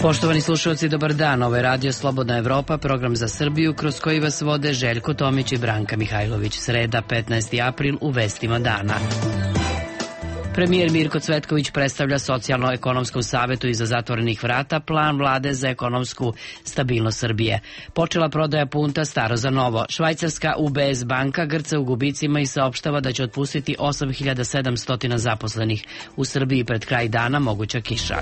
Poštovani slušalci, dobar dan. Ovo je Radio Slobodna Evropa, program za Srbiju, kroz koji vas vode Željko Tomić i Branka Mihajlović. Sreda, 15. april, u vestima dana. Premijer Mirko Cvetković predstavlja Socijalno-ekonomskom savetu iza zatvorenih vrata plan vlade za ekonomsku stabilnost Srbije. Počela prodaja punta staro za novo. Švajcarska UBS banka grca u gubicima i saopštava da će otpustiti 8700 zaposlenih. U Srbiji pred kraj dana moguća kiša.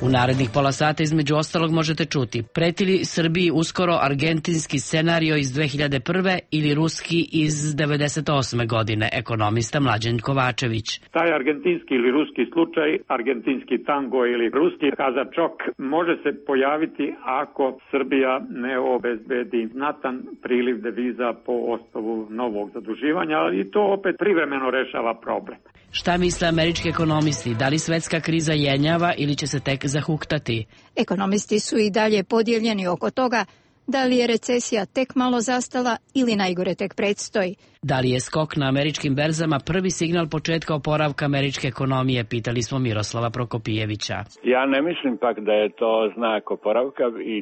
U narednih pola sata između ostalog možete čuti: preti li Srbiji uskoro argentinski scenario iz 2001. ili ruski iz 98. godine, ekonomista Mlađan Kovačević. Taj argentinski ili ruski slučaj, argentinski tango ili ruski kazačok može se pojaviti ako Srbija ne obezbedi znatan priliv deviza po osnovu novog zaduživanja, ali i to opet privremeno rešava problem. Šta misle američki ekonomisti? Da li svetska kriza jenjava ili će se tek zahuktati? Ekonomisti su i dalje podijeljeni oko toga da li je recesija tek malo zastala ili najgore tek predstoji. Da li je skok na američkim berzama prvi signal početka oporavka američke ekonomije, pitali smo Miroslava Prokopijevića. Ja ne mislim pak da je to znak oporavka i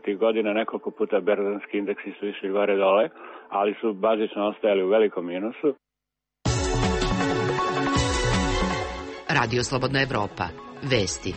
30. godina nekoliko puta berzanski indeksi su išli gore dole, ali su bazično ostajali u velikom minusu. Radio Slobodna Evropa. Vesti.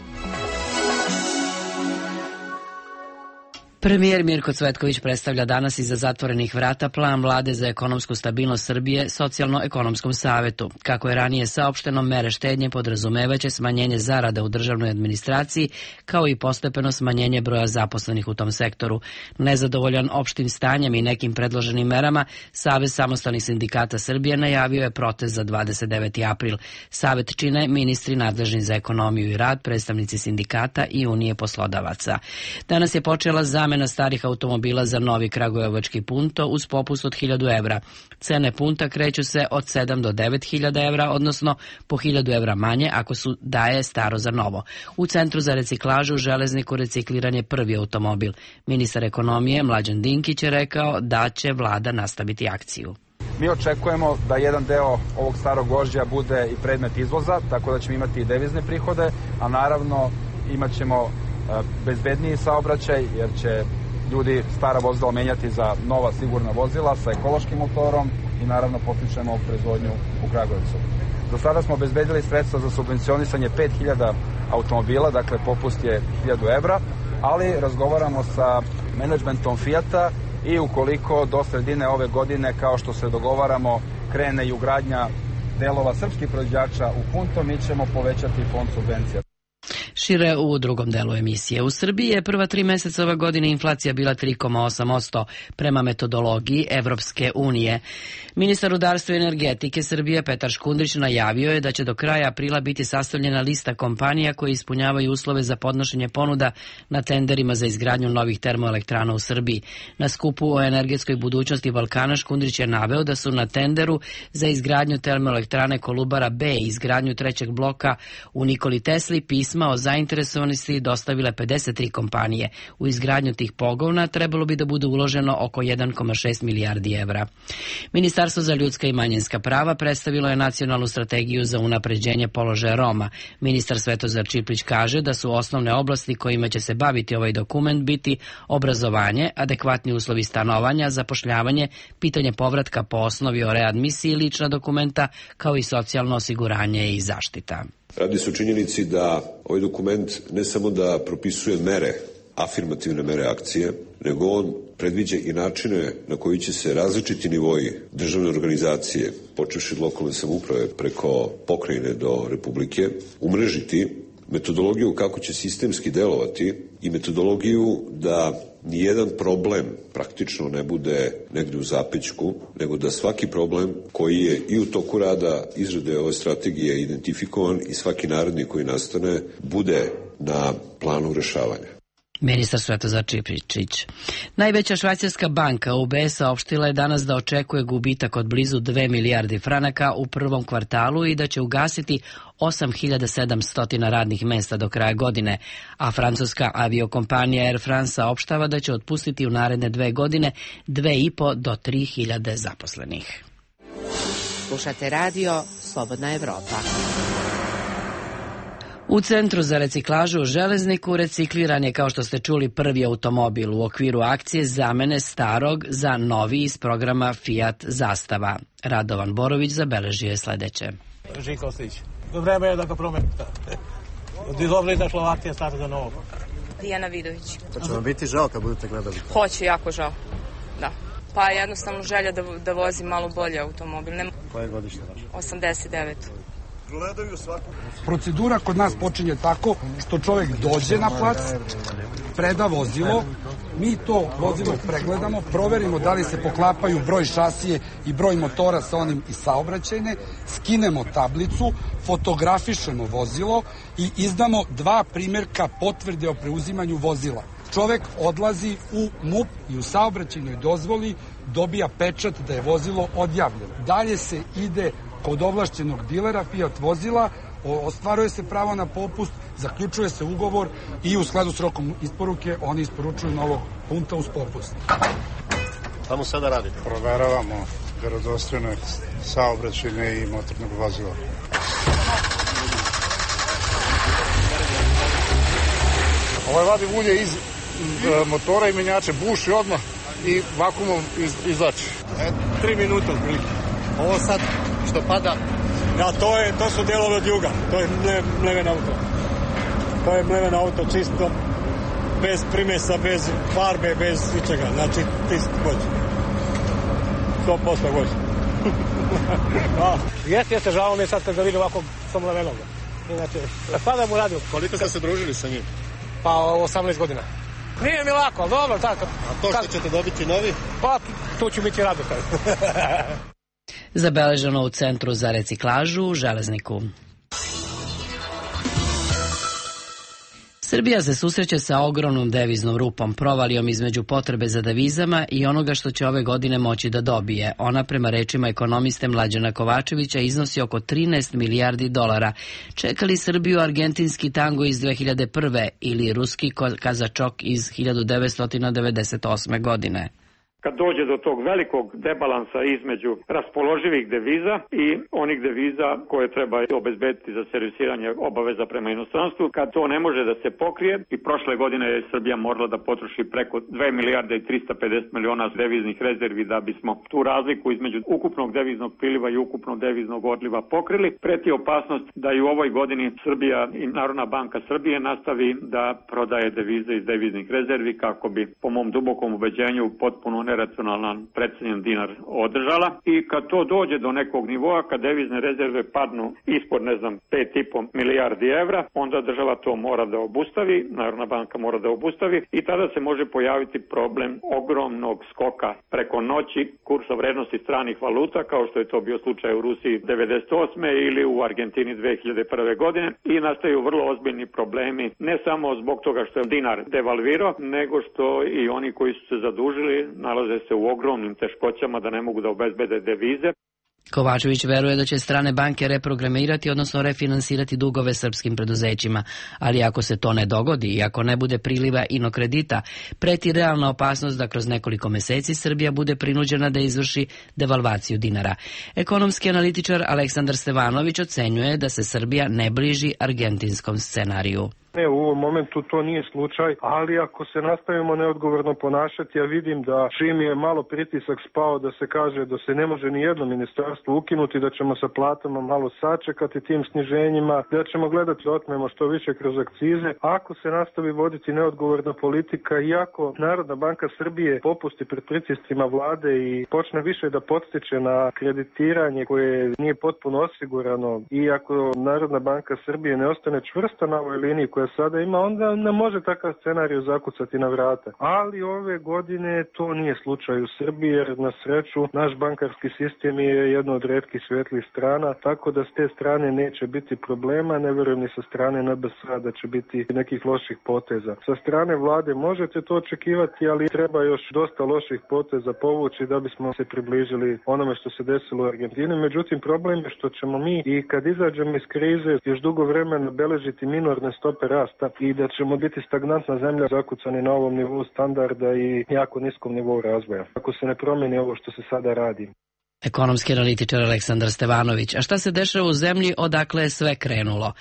Premijer Mirko Cvetković predstavlja danas iza zatvorenih vrata plan vlade za ekonomsku stabilnost Srbije Socijalno-ekonomskom savetu. Kako je ranije saopšteno, mere štednje podrazumevaće smanjenje zarada u državnoj administraciji, kao i postepeno smanjenje broja zaposlenih u tom sektoru. Nezadovoljan opštim stanjem i nekim predloženim merama, Savez samostalnih sindikata Srbije najavio je protest za 29. april. Savet čine ministri nadležni za ekonomiju i rad, predstavnici sindikata i Unije poslodavaca. Danas je počela zamena starih automobila za novi kragujevački punto uz popust od 1000 evra. Cene punta kreću se od 7 do 9000 evra, odnosno po 1000 evra manje ako su daje staro za novo. U Centru za reciklažu u Železniku recikliran je prvi automobil. Ministar ekonomije Mlađan Dinkić je rekao da će vlada nastaviti akciju. Mi očekujemo da jedan deo ovog starog gvožđa bude i predmet izvoza, tako da ćemo imati i devizne prihode, a naravno imat ćemo bezbedniji saobraćaj, jer će ljudi stara vozila menjati za nova sigurna vozila sa ekološkim motorom i naravno potičemo proizvodnju u Kragujevcu. Do sada smo obezbedili sredstva za subvencionisanje 5000 automobila, dakle popust je 1000 evra, ali razgovaramo sa menadžmentom Fijata i ukoliko do sredine ove godine, kao što se dogovaramo, krene i ugradnja delova srpskih proizvođača u punto, mi ćemo povećati fond subvencija. Šire u drugom delu emisije. U Srbiji je prva 3 meseca ove godine inflacija bila 3,8% prema metodologiji Evropske unije. Ministar rudarstva i energetike Srbije Petar Škundrić najavio je da će do kraja aprila biti sastavljena lista kompanija koje ispunjavaju uslove za podnošenje ponuda na tenderima za izgradnju novih termoelektrana u Srbiji. Na skupu o energetskoj budućnosti Balkana Škundrić je naveo da su na tenderu za izgradnju termoelektrane Kolubara B i izgradnju trećeg bloka u Nikoli Tesli pisma o zainteresovanosti dostavile 53 kompanije. U izgradnju tih pogona trebalo bi da bude uloženo oko 1,6 milijardi evra. Ministarstvo za ljudska i manjinska prava predstavilo je nacionalnu strategiju za unapređenje položaja Roma. Ministar Svetozar Čiplić kaže da su osnovne oblasti kojima će se baviti ovaj dokument biti obrazovanje, adekvatni uslovi stanovanja, zapošljavanje, pitanje povratka po osnovi o readmisiji, lična dokumenta, kao i socijalno osiguranje i zaštita. Radi se o činjenici da ovaj dokument ne samo da propisuje mere, afirmativne mere akcije, nego on predviđa i načine na koji će se različiti nivoji državne organizacije, počevši od lokalne samouprave preko pokrajine do republike, umrežiti metodologiju kako će sistemski delovati i metodologiju da nijedan problem praktično ne bude negde u zapećku, nego da svaki problem koji je i u toku rada izrade ove strategije identifikovan i svaki naredni koji nastane bude na planu rešavanja. Ministar Svetozar Čiplić. Najveća švajcarska banka UBS saopštila je danas da očekuje gubitak od blizu 2 milijardi franaka u prvom kvartalu i da će ugasiti 8700 radnih mesta do kraja godine, a francuska aviokompanija Air France saopštava da će otpustiti u naredne 2 godine 2,5 do 3.000 zaposlenih. Slušate radio Slobodna Evropa. U Centru za reciklažu u Železniku recikliran je, kao što ste čuli, prvi automobil u okviru akcije zamene starog za novi iz programa Fiat Zastava. Radovan Borović zabeležio je sledeće. Žika Ostić. Vreme je da ga promenite. Dizovli da Slovacija stane za novo. Dijana Vidović. Pa će vam biti žao kad budete gledali? Hoće, jako žao. Da. Pa jednostavno želja da vozim malo bolje automobil. Koje godište vaše? 89. Procedura kod nas počinje tako što čovjek dođe na plac, preda vozilo, mi to vozilo pregledamo, proverimo da li se poklapaju broj šasije i broj motora sa onim iz saobraćajne, skinemo tablicu, fotografišemo vozilo i izdamo 2 primjerka potvrde o preuzimanju vozila. Čovjek odlazi u MUP i u saobraćajnoj dozvoli dobija pečat da je vozilo odjavljeno. Dalje se ide kod ovlašćenog dilera Fiat vozila, ostvaruje se pravo na popust, zaključuje se ugovor i u skladu s rokom isporuke oni isporučuju novog punta uz popust. Šta mu sada radite? Proveravamo vjerodostojnost saobraćajne i motornog vozila. Vadi ulje iz motora i menjače, buši odmah i vakuumom izlači. 3 minuta otprilike. Ovo sad što pada? Da, to su delovi od juga. To je mleven auto. To je mleven auto čisto, bez primesa, bez farbe, bez ničega. Znači, čist vođe. 100% vođe. Jeste, žao mi je sad kad ga vidim ovako sa mlevenog. Inače, sada mu radim. Koliko ste se družili sa njim? Pa 18 godina. Nije mi lako, ali dobro, tako. A to što ćete dobiti novi? Pa, tu ću biti radotan. Zabeleženo u Centru za reciklažu u Železniku. Srbija se susreće sa ogromnom deviznom rupom, provalijom između potrebe za devizama i onoga što će ove godine moći da dobije. Ona, prema rečima ekonomiste Mlađana Kovačevića, iznosi oko 13 milijardi dolara. Čeka li Srbiju argentinski tango iz 2001. ili ruski kazačok iz 1998. godine? Kad dođe do tog velikog debalansa između raspoloživih deviza i onih deviza koje treba obezbediti za servisiranje obaveza prema inostranstvu, kad to ne može da se pokrije, i prošle godine je Srbija morala da potroši preko 2 milijarde i 350 miliona deviznih rezervi da bismo tu razliku između ukupnog deviznog priliva i ukupnog deviznog odliva pokrili, preti opasnost da i u ovoj godini Srbija i Narodna banka Srbije nastavi da prodaje devize iz deviznih rezervi kako bi, po mom dubokom ubeđenju, potpuno neracionalan precenjen dinar održala, i kad to dođe do nekog nivoa, kad devizne rezerve padnu ispod 5,5 milijardi evra, onda država to mora da obustavi, Narodna banka mora da obustavi, i tada se može pojaviti problem ogromnog skoka preko noći kursa vrednosti stranih valuta, kao što je to bio slučaj u Rusiji 98. ili u Argentini 2001. godine, i nastaju vrlo ozbiljni problemi, ne samo zbog toga što je dinar devalvirao, nego što i oni koji su se zadužili nalaze se u ogromnim teškoćama da ne mogu da obezbede devize. Kovačević veruje da će strane banke reprogramirati, odnosno refinansirati dugove srpskim preduzećima, ali ako se to ne dogodi i ako ne bude priliva inokredita, preti realna opasnost da kroz nekoliko meseci Srbija bude prinuđena da izvrši devalvaciju dinara. Ekonomski analitičar Aleksandar Stevanović ocenjuje da se Srbija ne bliži argentinskom scenariju. Ne, u ovom momentu to nije slučaj, ali ako se nastavimo neodgovorno ponašati, ja vidim da čim je malo pritisak spao da se kaže da se ne može ni jedno ministarstvo ukinuti, da ćemo sa platama malo sačekati tim sniženjima, da ćemo gledati da otmemo što više kroz akcize. Ako se nastavi voditi neodgovorna politika i ako Narodna banka Srbije popusti pred pritiscima vlade i počne više da podstiče na kreditiranje koje nije potpuno osigurano, i ako Narodna banka Srbije ne ostane čvrsta na ovoj liniji koja sada ima, onda ne može takav scenarij zakucati na vrata. Ali ove godine to nije slučaj u Srbiji, jer na sreću naš bankarski sistem je jedno od retkih svetlih strana, tako da s te strane neće biti problema, ne verujem ni sa strane NBS-a da će biti nekih loših poteza. Sa strane vlade možete to očekivati, ali treba još dosta loših poteza povući da bismo se približili onome što se desilo u Argentini. Međutim, problem je što ćemo mi i kad izađemo iz krize još dugo vremena beležiti minorne stope rasta i da ćemo biti stagnantna zemlja zakucani na ovom nivou standarda i jako niskom nivou razvoja. Ako se ne promeni ovo što se sada radi. Ekonomski analitičar Aleksandar Stevanović. A šta se dešava u zemlji odakle je sve krenulo?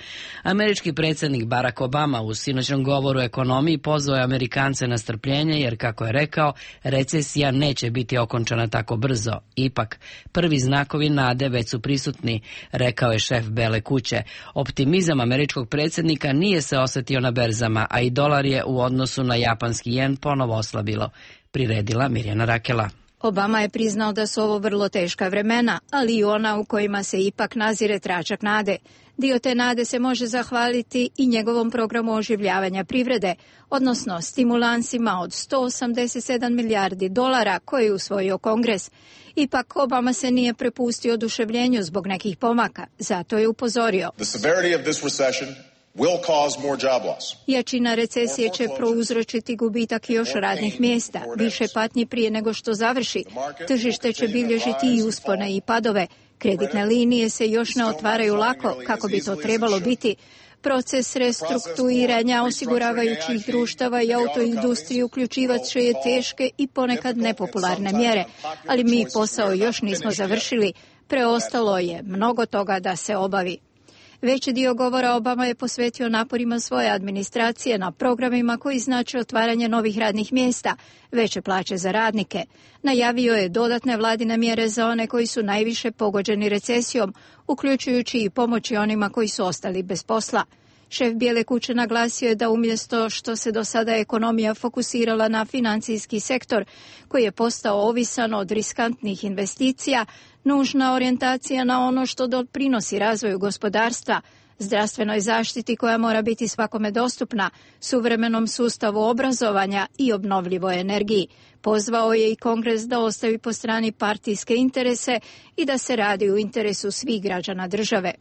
Američki predsjednik Barack Obama u sinoćnom govoru o ekonomiji pozvao je Amerikance na strpljenje jer, kako je rekao, recesija neće biti okončana tako brzo. Ipak, prvi znakovi nade već su prisutni, rekao je šef Bele kuće. Optimizam američkog predsjednika nije se osjetio na berzama, a i dolar je u odnosu na japanski jen ponovo oslabilo. Priredila Mirjana Rakela. Obama je priznao da su ovo vrlo teška vremena, ali i ona u kojima se ipak nazire tračak nade. Dio te nade se može zahvaliti i njegovom programu oživljavanja privrede, odnosno stimulansima od $187 milijardi koje je usvojio Kongres. Ipak Obama se nije prepustio oduševljenju zbog nekih pomaka, zato je upozorio. Jačina recesije će prouzročiti gubitak još radnih mjesta, više patnji prije nego što završi. Tržište će bilježiti i uspone i padove. Kreditne linije se još ne otvaraju lako, kako bi to trebalo biti. Proces restrukturiranja osiguravajućih društava i autoindustrije uključivat će je teške i ponekad nepopularne mjere, ali mi posao još nismo završili. Preostalo je mnogo toga da se obavi. Veći dio govora Obama je posvetio naporima svoje administracije na programima koji znače otvaranje novih radnih mjesta, veće plaće za radnike. Najavio je dodatne vladine mjere za one koji su najviše pogođeni recesijom, uključujući i pomoći onima koji su ostali bez posla. Šef Bijele kuće naglasio je da umjesto što se do sada ekonomija fokusirala na financijski sektor, koji je postao ovisan od riskantnih investicija, nužna orijentacija na ono što doprinosi razvoju gospodarstva, zdravstvenoj zaštiti koja mora biti svakome dostupna, suvremenom sustavu obrazovanja i obnovljivoj energiji. Pozvao je i Kongres da ostavi po strani partijske interese i da se radi u interesu svih građana države.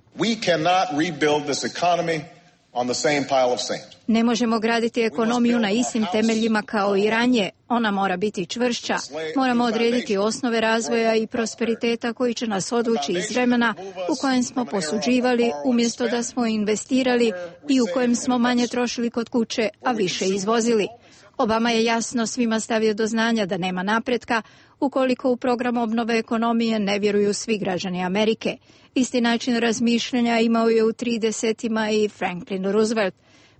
Ne možemo graditi ekonomiju na istim temeljima kao i ranije. Ona mora biti čvršća. Moramo odrediti osnove razvoja i prosperiteta koji će nas odvući iz vremena u kojem smo posuđivali umjesto da smo investirali i u kojem smo manje trošili kod kuće, a više izvozili. Obama je jasno svima stavio do znanja da nema napretka ukoliko u program obnove ekonomije ne vjeruju svi građani Amerike. Isti način razmišljanja imao je u 30-ima i Franklin Roosevelt.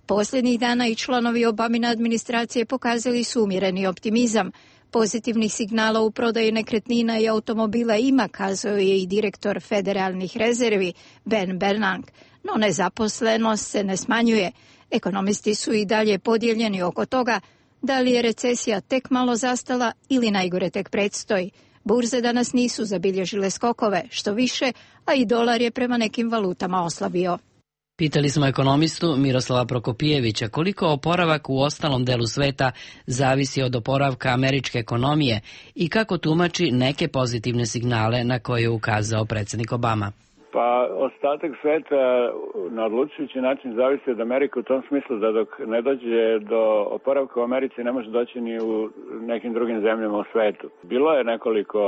Posljednjih dana i članovi Obamine administracije pokazali su umjereni optimizam. Pozitivnih signala u prodaji nekretnina i automobila ima, kazao je i direktor federalnih rezervi Ben Bernanke, no nezaposlenost se ne smanjuje. Ekonomisti su i dalje podijeljeni oko toga da li je recesija tek malo zastala ili najgore tek predstoji. Burze danas nisu zabilježile skokove, što više, a i dolar je prema nekim valutama oslabio. Pitali smo ekonomistu Miroslava Prokopijevića koliko oporavak u ostalom delu sveta zavisi od oporavka američke ekonomije i kako tumači neke pozitivne signale na koje je ukazao predsjednik Obama. Pa ostatak sveta na odlučujući način zavisi od Amerike u tom smislu da dok ne dođe do oporavka u Americi ne može doći ni u nekim drugim zemljama u svetu. Bilo je nekoliko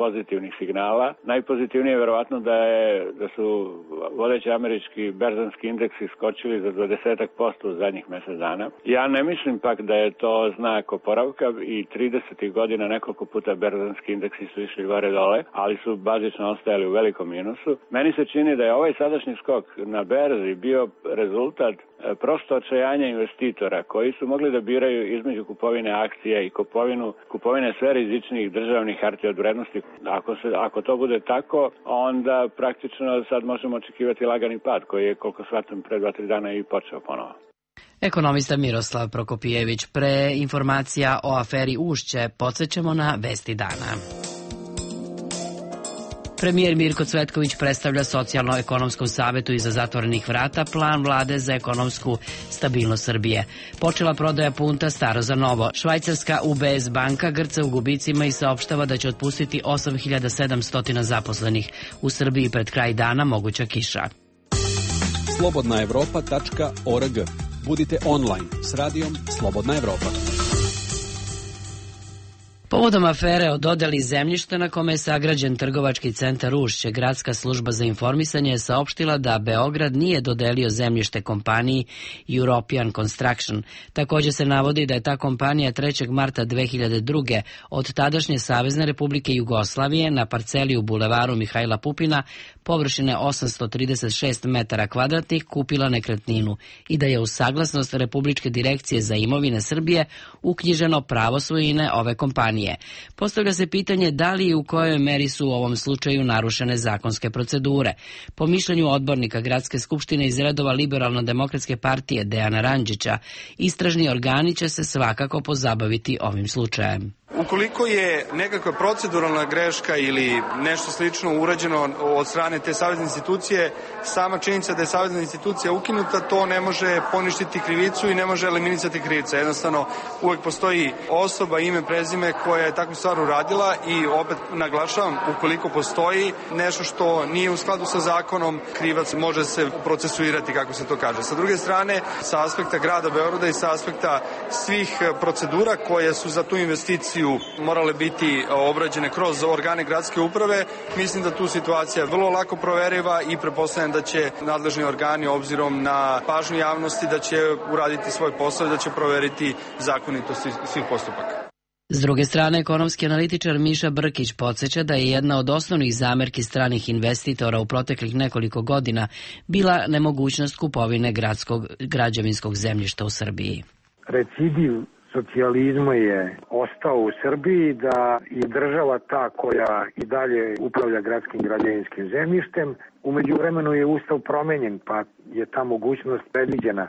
pozitivnih signala. Najpozitivnije je verovatno da su vodeći američki berzanski indeksi skočili za 20% u zadnjih mjesec dana. Ja ne mislim pak da je to znak oporavka i 30. godina nekoliko puta berzanski indeksi su išli gore dole, ali su bazično ostajali u velikom minusu. Meni se čini da je ovaj sadašnji skok na berzi bio rezultat prosto očajanja investitora koji su mogli da biraju između kupovine akcija i kupovine sve rizičnijih državnih hartija od vrednosti. Ako to bude tako, onda praktično sad možemo očekivati lagani pad koji je, koliko shvatam, pre 2-3 dana i počeo ponovo. Ekonomista Miroslav Prokopijević. Pre informacija o aferi Ušće podsjećamo na vesti dana. Premijer Mirko Cvetković predstavlja Socijalno-ekonomskom savetu iza zatvorenih vrata plan vlade za ekonomsku stabilnost Srbije. Počela prodaja punta staro za novo. Švajcarska UBS banka grca u gubicima i saopštava da će otpustiti 8700 zaposlenih. U Srbiji pred kraj dana moguća kiša. Povodom afere o dodeli zemljišta na kome je sagrađen trgovački centar Ušće, Gradska služba za informisanje je saopštila da Beograd nije dodelio zemljište kompaniji European Construction. Također se navodi da je ta kompanija 3. marta 2002. od tadašnje Savezne Republike Jugoslavije na parceli u bulevaru Mihajla Pupina površine 836 metara kvadratnih kupila nekretninu i da je uz saglasnost Republičke direkcije za imovine Srbije uknjiženo pravo svojine ove kompanije. Postavlja se pitanje da li i u kojoj meri su u ovom slučaju narušene zakonske procedure. Po mišljenju odbornika Gradske skupštine iz redova Liberalno-demokratske partije Dejana Randžića, istražni organi će se svakako pozabaviti ovim slučajem. Ukoliko je nekakva proceduralna greška ili nešto slično urađeno od strane te savezne institucije, sama činjenica da je savezna institucija ukinuta, to ne može poništiti krivicu i ne može eliminisati krivica. Jednostavno, uvek postoji osoba, ime, prezime koja je takvu stvar uradila i opet naglašavam, ukoliko postoji nešto što nije u skladu sa zakonom, krivac može se procesuirati, kako se to kaže. Sa druge strane, sa aspekta grada Beograda i sa aspekta svih procedura koje su za tu investiciju morale biti obrađene kroz organe gradske uprave, mislim da tu situacija je vrlo lako proveriva i pretpostavljam da će nadležni organi, obzirom na pažnju javnosti, da će uraditi svoj posao i da će proveriti zakonitost svih postupaka. S druge strane, ekonomski analitičar Miša Brkić podsjeća da je jedna od osnovnih zamerki stranih investitora u proteklih nekoliko godina bila nemogućnost kupovine gradskog građevinskog zemljišta u Srbiji. Recidiv socijalizma je ostao u Srbiji, da je država ta koja i dalje upravlja gradskim građevinskim zemljištem. U međuvremenu je Ustav promenjen, pa je ta mogućnost predviđena.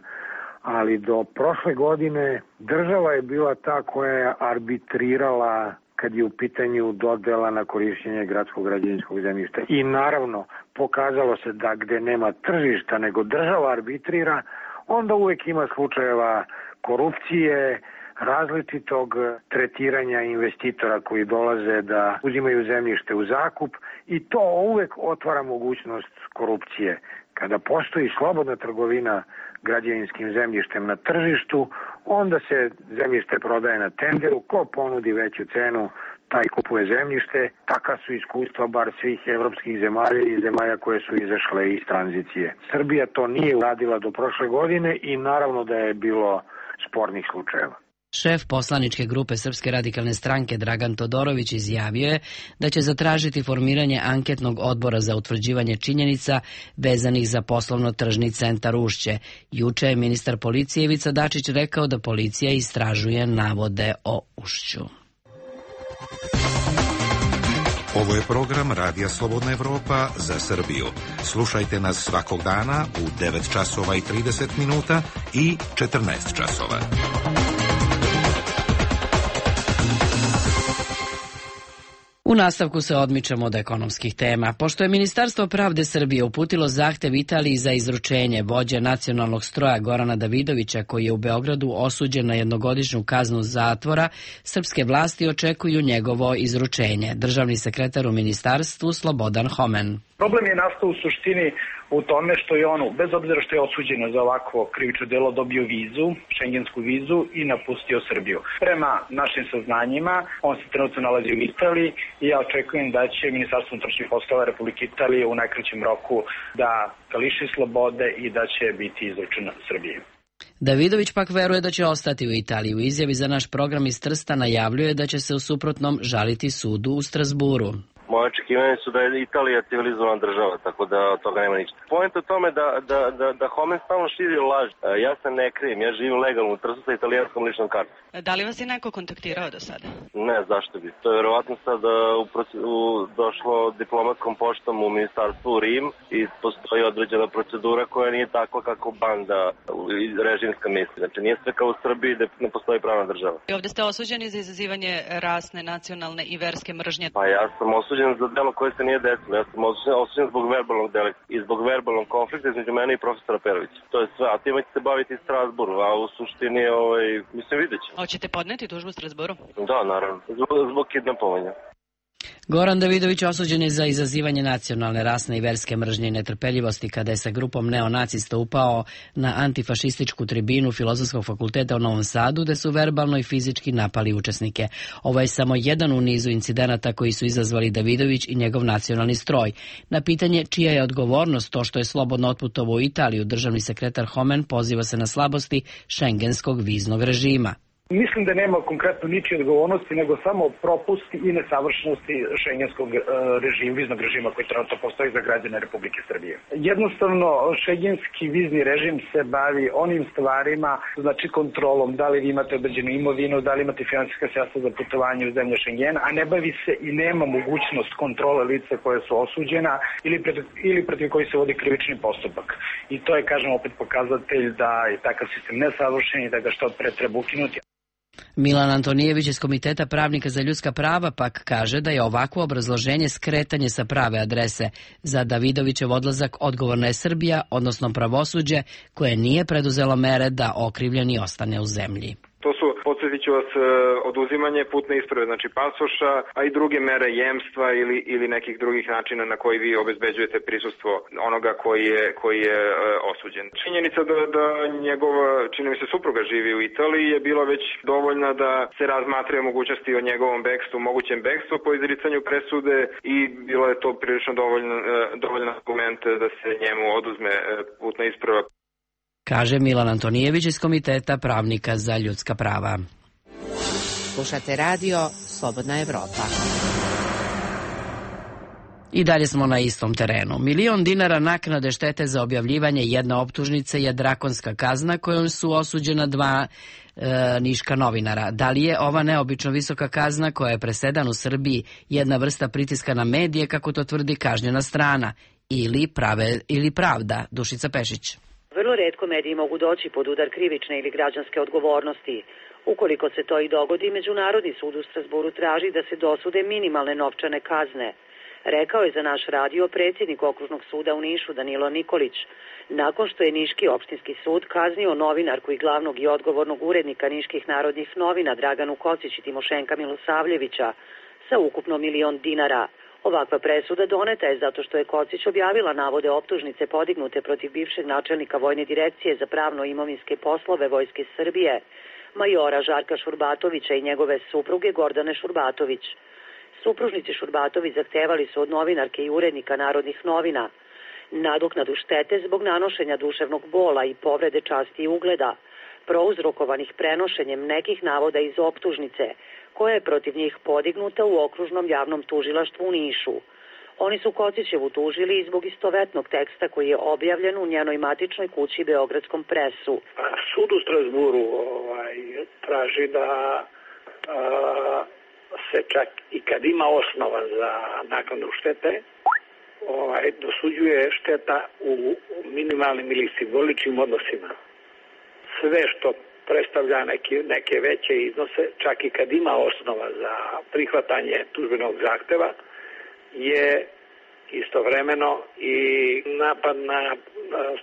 Ali do prošle godine država je bila ta koja je arbitrirala kad je u pitanju dodela na korišćenje gradskog građevinskog zemljišta. I naravno, pokazalo se da gde nema tržišta nego država arbitrira, onda uvek ima slučajeva korupcije, različitog tretiranja investitora koji dolaze da uzimaju zemljište u zakup i to uvek otvara mogućnost korupcije. Kada postoji slobodna trgovina građevinskim zemljištem na tržištu, onda se zemljište prodaje na tenderu, ko ponudi veću cenu, taj kupuje zemljište. Taka su iskustva bar svih evropskih zemalja i zemalja koje su izašle iz tranzicije. Srbija to nije uradila do prošle godine i naravno da je bilo spornih slučajeva. Šef poslaničke grupe Srpske radikalne stranke Dragan Todorović izjavio je da će zatražiti formiranje anketnog odbora za utvrđivanje činjenica vezanih za poslovno-tržni centar Ušće. Juče je ministar policije Ivica Dačić rekao da policija istražuje navode o Ušću. Ovo je program Radija Slobodna Evropa za Srbiju. Slušajte nas svakog dana u 9 časova i 30 minuta i 14 časova. U nastavku se odmičemo od ekonomskih tema. Pošto je Ministarstvo pravde Srbije uputilo zahtev Italiji za izručenje vođe nacionalnog stroja Gorana Davidovića, koji je u Beogradu osuđen na jednogodišnju kaznu zatvora, srpske vlasti očekuju njegovo izručenje. Državni sekretar u ministarstvu Slobodan Homen. Problem je nastao u suštini u tome što je on, bez obzira što je osuđen za ovakvo krivično delo, dobio vizu, šengensku vizu i napustio Srbiju. Prema našim saznanjima, on se trenutno nalazi u Italiji i ja očekujem da će Ministarstvo unutrašnjih poslova Republike Italije u najkraćem roku da ga liši slobode i da će biti izručen Srbiji. Davidović pak veruje da će ostati u Italiji. U izjavi za naš program iz Trsta najavljuje da će se u suprotnom žaliti sudu u Strasburu. Moje očekivanje su da je Italija civilizovana država, tako da od toga nema ništa. Point u tome da Homen stalno širi laž. Ja se ne krijem, ja živim legalno u Trstu sa italijanskom ličnom kartom. Da li vas je neko kontaktirao do sada? Ne, zašto bi. To je verovatno sad došlo diplomatskom poštom u ministarstvu u Rim i postoji određena procedura koja nije takva kako banda režimska misli. Znači nije sve kao u Srbiji da ne postoji pravna država. I ovdje ste osuđeni za izazivanje rasne, nacionalne i verske mržnje. Pa ja sam osuđen za delo koje se nije desilo. Ja sam osuđen zbog verbalnog delikta i zbog verbalnog konflikta između mene i profesora Perovića. To je sve. A time će se baviti Strasburu, a u suštini, mislim, vidjet ćemo. Hoćete podneti tužbu u Strasburu? Da, naravno. Zbog kidnapovanja. Goran Davidović osuđen je za izazivanje nacionalne, rasne i verske mržnje i netrpeljivosti kada je sa grupom neonacista upao na antifašističku tribinu Filozofskog fakulteta u Novom Sadu, gde su verbalno i fizički napali učesnike. Ovo je samo jedan u nizu incidenata koji su izazvali Davidović i njegov nacionalni stroj. Na pitanje čija je odgovornost to što je slobodno otputovao u Italiju, državni sekretar Homen poziva se na slabosti šengenskog viznog režima. Mislim da nema konkretno ničije odgovornosti, nego samo propusti i nesavršenosti šengenskog režima, viznog režima koji trenutno postoji za građane Republike Srbije. Jednostavno, šengenski vizni režim se bavi onim stvarima, znači kontrolom, da li vi imate određenu imovinu, da li imate finansijska sredstva za putovanje u zemlje Šengena, a ne bavi se i nema mogućnost kontrole lica koje su osuđena ili protiv koji se vodi krivični postupak. I to je, kažem, opet pokazatelj da je takav sistem nesavršen i da ga što pre treba ukinuti. Milan Antonijević iz Komiteta pravnika za ljudska prava pak kaže da je ovakvo obrazloženje skretanje sa prave adrese. Za Davidovićev odlazak odgovorna je Srbija, odnosno pravosuđe, koje nije preduzelo mere da okrivljeni ostane u zemlji. To su, podsjetit ću vas, oduzimanje putne isprave, znači pasoša, a i druge mere jemstva ili nekih drugih načina na koji vi obezbeđujete prisustvo onoga koji je osuđen. Činjenica da njegova, čini mi se, supruga živi u Italiji je bila već dovoljna da se razmatraju mogućnosti o njegovom bekstvu, mogućem bekstvu po izricanju presude i bilo je to prilično dovoljan argument da se njemu oduzme putna isprava. Kaže Milan Antonijević iz Komiteta pravnika za ljudska prava. Slušate radio Slobodna Evropa. I dalje smo na istom terenu. 1.000.000 dinara naknade štete za objavljivanje jedne optužnice je drakonska kazna kojom su osuđena 2 niška novinara. Da li je ova neobično visoka kazna koja je presedan u Srbiji jedna vrsta pritiska na medije, kako to tvrdi kažnjena strana, ili pravda? Dušica Pešić. Vrlo retko mediji mogu doći pod udar krivične ili građanske odgovornosti. Ukoliko se to i dogodi, Međunarodni sud u Strasburu traži da se dosude minimalne novčane kazne. Rekao je za naš radio predsjednik Okružnog suda u Nišu Danilo Nikolić, nakon što je Niški opštinski sud kaznio novinarku i glavnog i odgovornog urednika Niških narodnih novina Draganu Kocić i Timošenka Milosavljevića sa ukupno 1.000.000 dinara. Ovakva presuda doneta je zato što je Kocić objavila navode optužnice podignute protiv bivšeg načelnika Vojne direkcije za pravno-imovinske poslove Vojske Srbije, majora Žarka Šurbatovića i njegove supruge Gordane Šurbatović. Supružnici Šurbatović zahtevali su od novinarke i urednika Narodnih novina nadoknadu štete zbog nanošenja duševnog bola i povrede časti i ugleda, prouzrokovanih prenošenjem nekih navoda iz optužnice, koja je protiv njih podignuta u Okružnom javnom tužilaštvu u Nišu. Oni su Kocićevu tužili i zbog istovetnog teksta koji je objavljen u njenoj matičnoj kući Beogradskom presu. Sud u Strasburu traži da se čak i kad ima osnova za naknadu štete, dosuđuje šteta u minimalnim ili simboličnim odnosima. Sve što predstavlja neke veće iznose, čak i kad ima osnova za prihvatanje tužbenog zahteva, je istovremeno i napad na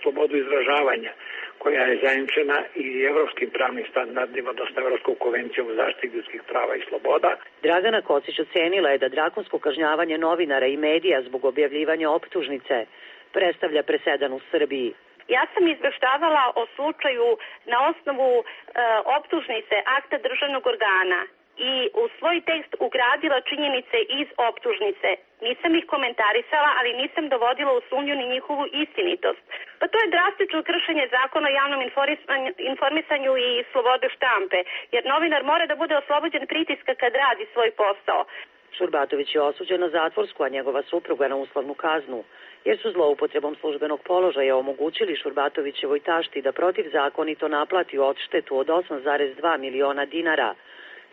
slobodu izražavanja, koja je zajamčena i evropskim pravnim standardima, odnosno Evropskom konvencijom o zaštiti ljudskih prava i sloboda. Dragana Kocić ocenila je da drakonsko kažnjavanje novinara i medija zbog objavljivanja optužnice predstavlja presedan u Srbiji. Ja sam izveštavala o slučaju na osnovu optužnice akta državnog organa i u svoj tekst ugradila činjenice iz optužnice. Nisam ih komentarisala, ali nisam dovodila u sumnju ni njihovu istinitost. Pa to je drastično kršenje zakona o javnom informisanju i slobode štampe, jer novinar mora da bude oslobođen pritiska kad radi svoj posao. Šurbatović je osuđen na zatvorsku, a njegova supruga na uslovnu kaznu, jer su zloupotrebom službenog položaja omogućili Šurbatovićevoj tašti da protivzakonito naplati odštetu od 8,2 miliona dinara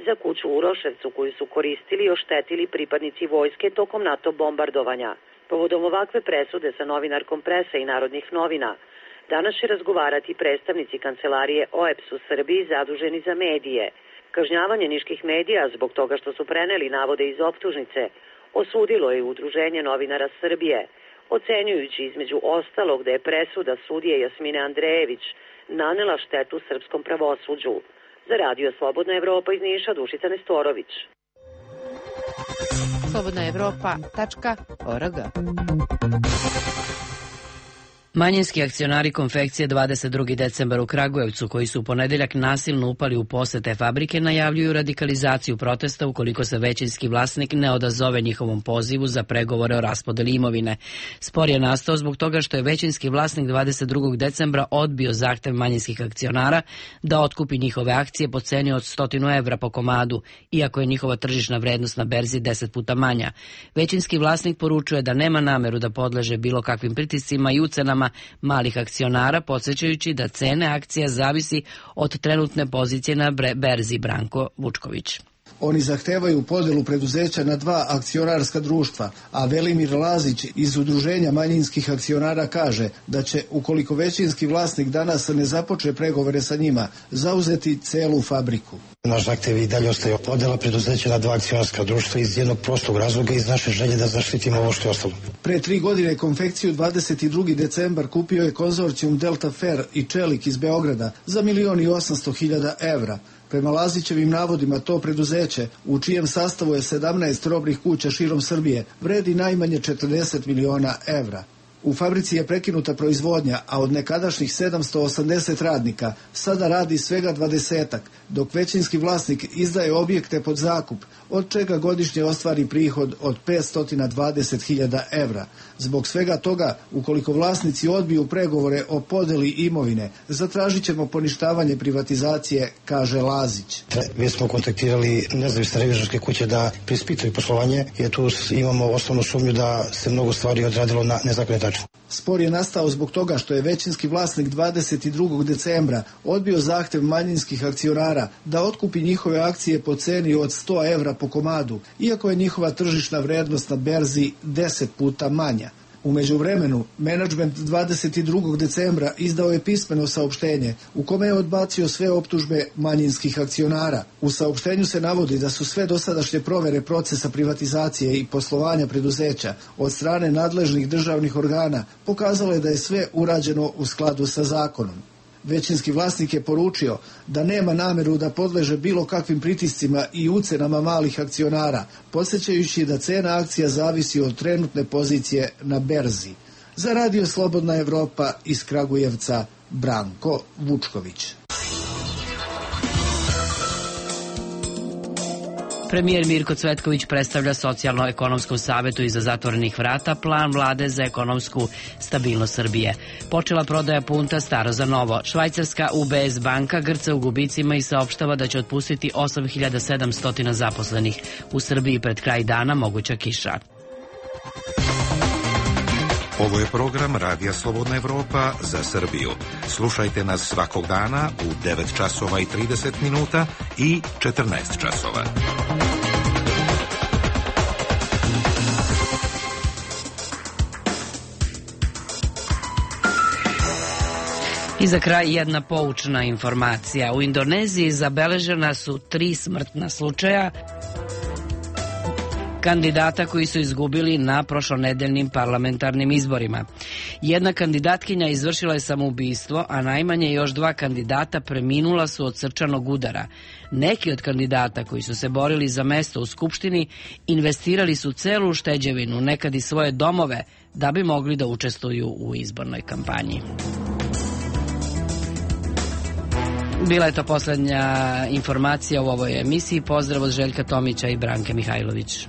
za kuću u Uroševcu koju su koristili i oštetili pripadnici vojske tokom NATO bombardovanja. Povodom ovakve presude sa novinarkom Presa i Narodnih novina, danas će razgovarati predstavnici kancelarije OEBS u Srbiji zaduženi za medije. Kažnjavanje niških medija zbog toga što su preneli navode iz optužnice osudilo je Udruženje novinara Srbije, ocenjujući između ostalog da je presuda sudije Jasmine Andrejević nanela štetu srpskom pravosuđu. Za radio Slobodna Evropa iz Niša, Dušica Nestorović. slobodnaevropa.org. Manjinski akcionari konfekcije 22. decembar u Kragujevcu, koji su u ponedeljak nasilno upali u posete fabrike, najavljuju radikalizaciju protesta ukoliko se većinski vlasnik ne odazove njihovom pozivu za pregovore o raspodeli imovine. Spor je nastao zbog toga što je većinski vlasnik 22. decembra odbio zahtev manjinskih akcionara da otkupi njihove akcije po ceni od 100 evra po komadu, iako je njihova tržišna vrednost na berzi 10 puta manja. Većinski vlasnik poručuje da nema nameru da podleže bilo kakvim pritiscima i ucenama malih akcionara, podsjećajući da cene akcija zavisi od trenutne pozicije na berzi. Branko Vučković. Oni zahtevaju podelu preduzeća na 2 akcionarska društva, a Velimir Lazić iz Udruženja manjinskih akcionara kaže da će, ukoliko većinski vlasnik danas ne započne pregovore sa njima, zauzeti celu fabriku. Naš zahtev i dalje ostaje podela preduzeća na 2 akcionarska društva iz jednog prostog razloga, iz naše želje da zaštitimo ovo što je ostalo. Pre 3 godine konfekciju 22. decembar kupio je konzorcijum Delta Fair i Čelik iz Beograda za 1.800.000 evra. Prema Lazićevim navodima, to preduzeće, u čijem sastavu je 17 robnih kuća širom Srbije, vredi najmanje 40 miliona evra. U fabrici je prekinuta proizvodnja, a od nekadašnjih 780 radnika sada radi svega 20-ak, dok većinski vlasnik izdaje objekte pod zakup, od čega godišnje ostvari prihod od 520.000 evra. Zbog svega toga, ukoliko vlasnici odbiju pregovore o podeli imovine, zatražit ćemo poništavanje privatizacije, kaže Lazić. Mi smo kontaktirali nezavisne revizorske kuće da preispitaju poslovanje, jer tu imamo osnovnu sumnju da se mnogo stvari odradilo na nezakonit način. Spor je nastao zbog toga što je većinski vlasnik 22. decembra odbio zahtev manjinskih akcionara da otkupi njihove akcije po ceni od 100 evra po komadu, iako je njihova tržišna vrednost na berzi 10 puta manja. U međuvremenu, menadžment 22. decembra izdao je pismeno saopštenje u kome je odbacio sve optužbe manjinskih akcionara. U saopštenju se navodi da su sve dosadašnje provere procesa privatizacije i poslovanja preduzeća od strane nadležnih državnih organa pokazale da je sve urađeno u skladu sa zakonom. Većinski vlasnik je poručio da nema nameru da podleže bilo kakvim pritiscima i ucenama malih akcionara, podsjećajući da cena akcija zavisi od trenutne pozicije na berzi. Za Radio Slobodna Evropa iz Kragujevca, Branko Vučković. Premijer Mirko Cvetković predstavlja Socijalno-ekonomskom savetu iza zatvorenih vrata plan vlade za ekonomsku stabilnost Srbije. Počela prodaja punta staro za novo. Švajcarska UBS banka grca u gubicima i saopštava da će otpustiti 8.700 zaposlenih. U Srbiji pred kraj dana moguća kiša. Ovo je program Radija Slobodna Evropa za Srbiju. Slušajte nas svakog dana u 9 časova i 30 minuta i 14 časova. I za kraj jedna poučna informacija. U Indoneziji zabeležena su 3 smrtna slučaja kandidata koji su izgubili na prošlonedeljnim parlamentarnim izborima. Jedna kandidatkinja izvršila je samoubistvo, a najmanje još 2 kandidata preminula su od srčanog udara. Neki od kandidata koji su se borili za mesto u Skupštini investirali su celu ušteđevinu, nekad i svoje domove, da bi mogli da učestvuju u izbornoj kampanji. Bila je to poslednja informacija u ovoj emisiji. Pozdrav od Željka Tomića i Branke Mihajlović.